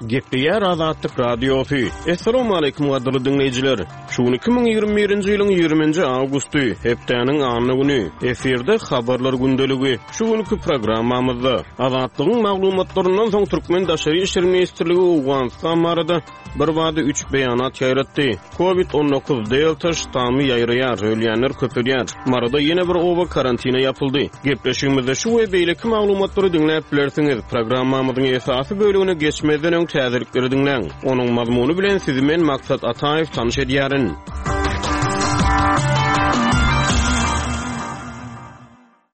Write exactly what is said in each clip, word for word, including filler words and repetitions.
Gepleýär Azatlyk Radiosy. Assalamualaikum gadyrly diňleýjiler. Şu gün iki müň ýigrimi birinji ýylyň ýigriminji awgusty, hepdäniň anna güni. Efirde habarlar gündeligi. Şu günki programmamyzda Azatlygyň maglumatlaryndan soň Türkmen Daşary Işler Ministrligi Owganystan barada bir bada üç beýanat ýaýratdy. Covid on dokuz Delta ştammy ýaýraýar, ölýänler köpelýär. Maryda ýene bir oba karantina ýapyldy. Gepleşigimizde şu we beýleki maglumatlary diňläp bilersiňiz. Programmamyzyň esasy bölümine geçmezden öň täzelikleri diňläň. Onuň mazmuny bilen sizi men Maksat Ataýew tanyş edýärin.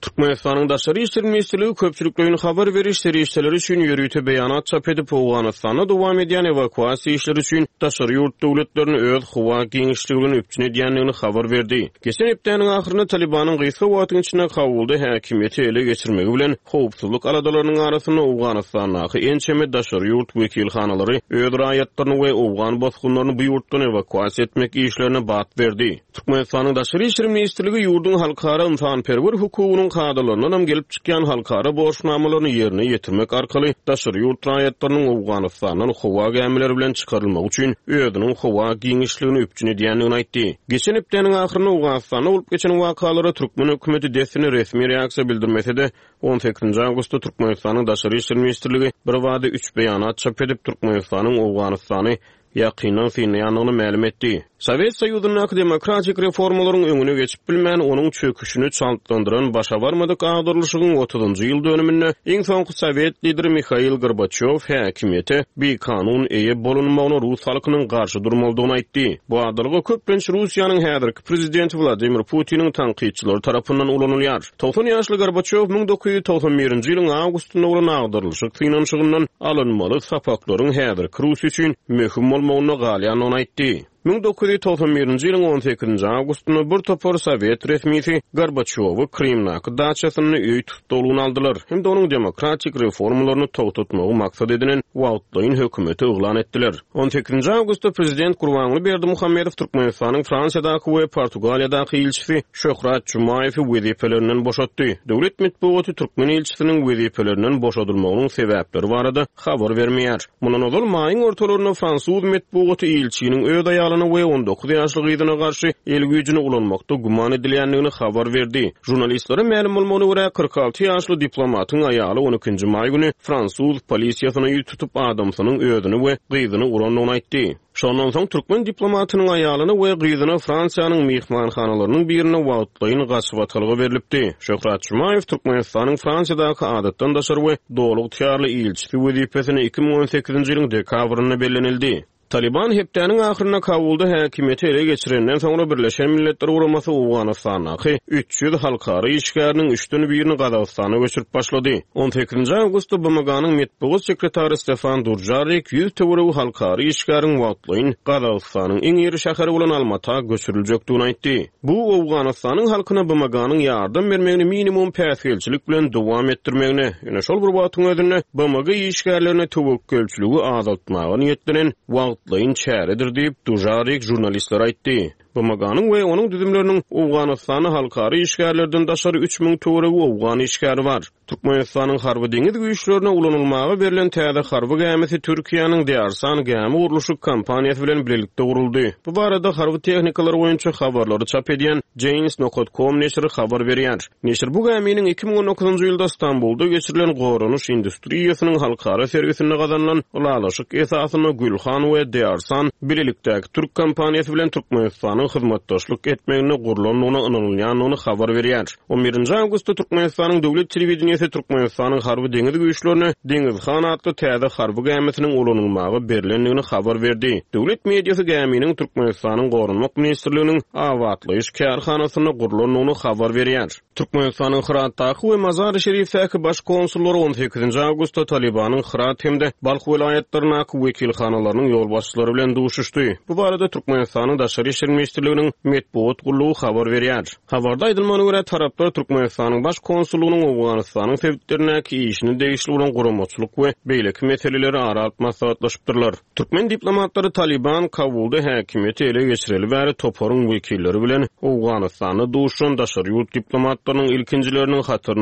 Türkmenistanyň Daşary Işler Ministrligi köpçülikleýin habar beriş serişdeleri üçin ýörite beýanat çap edip, Owganystanda dowam edýän ewakuasiýa işleri üçin daşary ýurt döwletlerini öz howa giňişligi bilen üpjün edýändigini habar berdi. Geçen hepdäniň ahyrynda Talibanyň gysga wagtyň içinde Kabulda häkimiýeti ele geçirmegi bilen howpsuzlyk aladalarynyň arasynda Owganystandaky ençeme daşary ýurt wekilhanalary öz raýatlaryny we owgan bosgunlaryny bu ýurtdan ewakuasiýa etmek işlerine bat berdi. Türkmenistanyň Daşary Işler Ministrligi ýurduň halkara ynsanperwer hukugynyň kadalaryndan hem gelip çykýan halkara borçnamalaryny ýerine ýetirmek arkaly daşary ýurt raýatlarynyň Owganystandan howa gämileri bilen çykarylmagy üçin özüniň howa giňişligini üpjün edýändigini aýtdy. Geçen hepdäniň ahyrynda Owganystanda bolup geçen wakalara Türkmen hökümeti dessine resmi reaksiýa bildirmese-de, on sekizinji awgustda Türkmenistanyň Daşary Işler Ministrligi bir bada üç beýanat çap edip, Türkmenistanyň Owganystany ýakyndan synlaýandygyny mälim etdi. Sowet Soýuzyndaky demokratik reformalaryň öňüne geçip bilmän, onuň çöküşini çaltlandyran başa barmadyk agdarlyşygyň otuzynjy ýyl dönüminde iň soňky Sowet lideri Mihail Gorbaçýow häkimiýete bikanun eýe bolunmagyna Rus halkynyň garşy durmalydygyny aýtdy. Bu adalga köplenç Russiýanyň häzirki prezidenti Wladimir Putiniň tankytçylary tarapyndan ulanylýar. Togsan ýaşly Gorbaçýow müň dokuz ýüz togsan birinji ýylyň awgustynda bolan agdarlyşyk synanyşygyndan alynmaly sapaklaryň häzirki Russiýa üçin möhüm bolmagyna galýandygyny aýtdy. Müň dokuz ýüz togsan birinji ýylyň on sekizinji awgustynda bir topar Sowet resmisi Gorbaçýowy Krymdaky daçasynda öý tussaglygyna aldylar hem-de onuň demokratik reformalaryny togtatmagy maksat edinen wagtlaýyn hökümeti yglan etdiler. On sekizinji awgustda prezident Gurbanguly Berdimuhamedow Türkmenistanyň Fransiýadaky we Portugaliýadaky ilçisi Şöhrat Jumaýewi wezipelerinden boşatdy. Döwlet metbugaty Türkmen ilçisiniň wezipelerinden boşadylmagynyň sebäpleri barada habar bermeýär. Mundan ozal maýyň ortalarynda fransuz metbugaty ilçiniň öz aýalyna we on dokuz ýaşly gyzyna garşy el güýjüni ulanmakda güman edilýändigini habar berdi. Jurnalistlere mälim bolmagyna görä kyrk alty ýaşly diplomatyň aýaly on ikinji maý güni fransuz polisiýasyna ýüz tutup adamsynyň özüni we gyzyny urandygyny aýtdy. Şondan soň türkmen diplomatynyň aýalyna we gyzyna Fransiýanyň myhmanhanalarynyň birine wagtlaýyn gaçybatalga berilipdi. Şöhrat Jumaýew Türkmenistanyň Fransiýadaky adatdan daşary we doly ygtyýarly ilçisi wezipesine iki müň on sekizinji ýylyň dekabrynda bellenildi. Taliban hepdäniň ahyrynda Kabulda häkimiýeti ele geçirenden soňra Birleşen Milletler Guramasy Owganystandaky üç ýüz halkara işgäriniň üçden birini Gazagystana göçürip başlady. On sekizinji awgustda B M G-nyň metbugat sekretary Stefan Dujarrik ýüz töweregi halkara işgäriň wagtlaýyn Gazagystanyň iň iri şäheri bolan Almata göçüriljekdigini aýtdy. Bu Owganystanyň halkyna B M G-nyň ýardam bermegini minimum päsgelçilik bilen dowam etdirmegine, ýöne şol bir wagtyň özünde B M G işgärlerine töwekgelçiligi azaltmaga niýetlenen wagtlaýyn çäredir diýip Dujarrik jurnalistlere aýtdy. B M G-nyň we onuň düzümleriniň Owganystanda halkara işgärlerden daşary üç müň töweregi owgan işgäri bar. Türkmenistanyň harby deňiz güýçlerine ulanylmaga berlen täze harby gämisi Türkiýäniň Dearsan gämi gurluşyk kompaniýasy bilen birlikde guruldy. Bu barada harby tehnikalar boýunça habarlary çap edýän Janes nokta com neşiri habar berýär. Neşir bu gäminiň iki müň on dokuzynjy ýylda Stambulda geçirilen goranyş industriýasynyň halkara sergisinde gazanylan ylalaşyk esasynda Gülhan we Dearsan birlikdäki türk kompaniýasy bilen Türkmenistanyň hyzmatdaşlyk etmegine gurlandygyna ynanylýandygyny habar berýär. On birinji awgustda Türkmenistanyň döwlet telewideniýesi Türkmenistanyň harby deňiz güýçlerine Deňizhan atly täze harby gämisiniň ulanylmaga berlendigini habar berdi. Döwlet mediasy gäminiň Türkmenistanyň Goranmak Ministrliginiň abatlaýyş kärhanasynda gurlandygyny habar berýär. Türkmenistanyň Hyratdaky we Mazar-y Şerifdäki baş konsullary on sekizinji awgustda Talibanyň Hyrat hem-de Balh welaýatlaryndaky wekilhanalarynyň ýolbaşçylary bilen duşuşdy. Bu barada Türkmenistanyň Daşary Işler Ministrliginiň metbugat gullugy habar berýär. Habarda aýdylmagyna görä taraplar Türkmenistanyň baş konsullygynyň Owganystanyň sebitlerindäki işini degişli bolan guramaçylyk we beýleki meseleleri ara alyp maslahatlaşypdyrlar. Türkmen diplomatlary Taliban Kabulda häkimiýeti ele geçireli bäri toparyň wekilleri bilen Owganystanda duşan daşary ýurt diplomatlarynyň ilkinjileriniň hataryna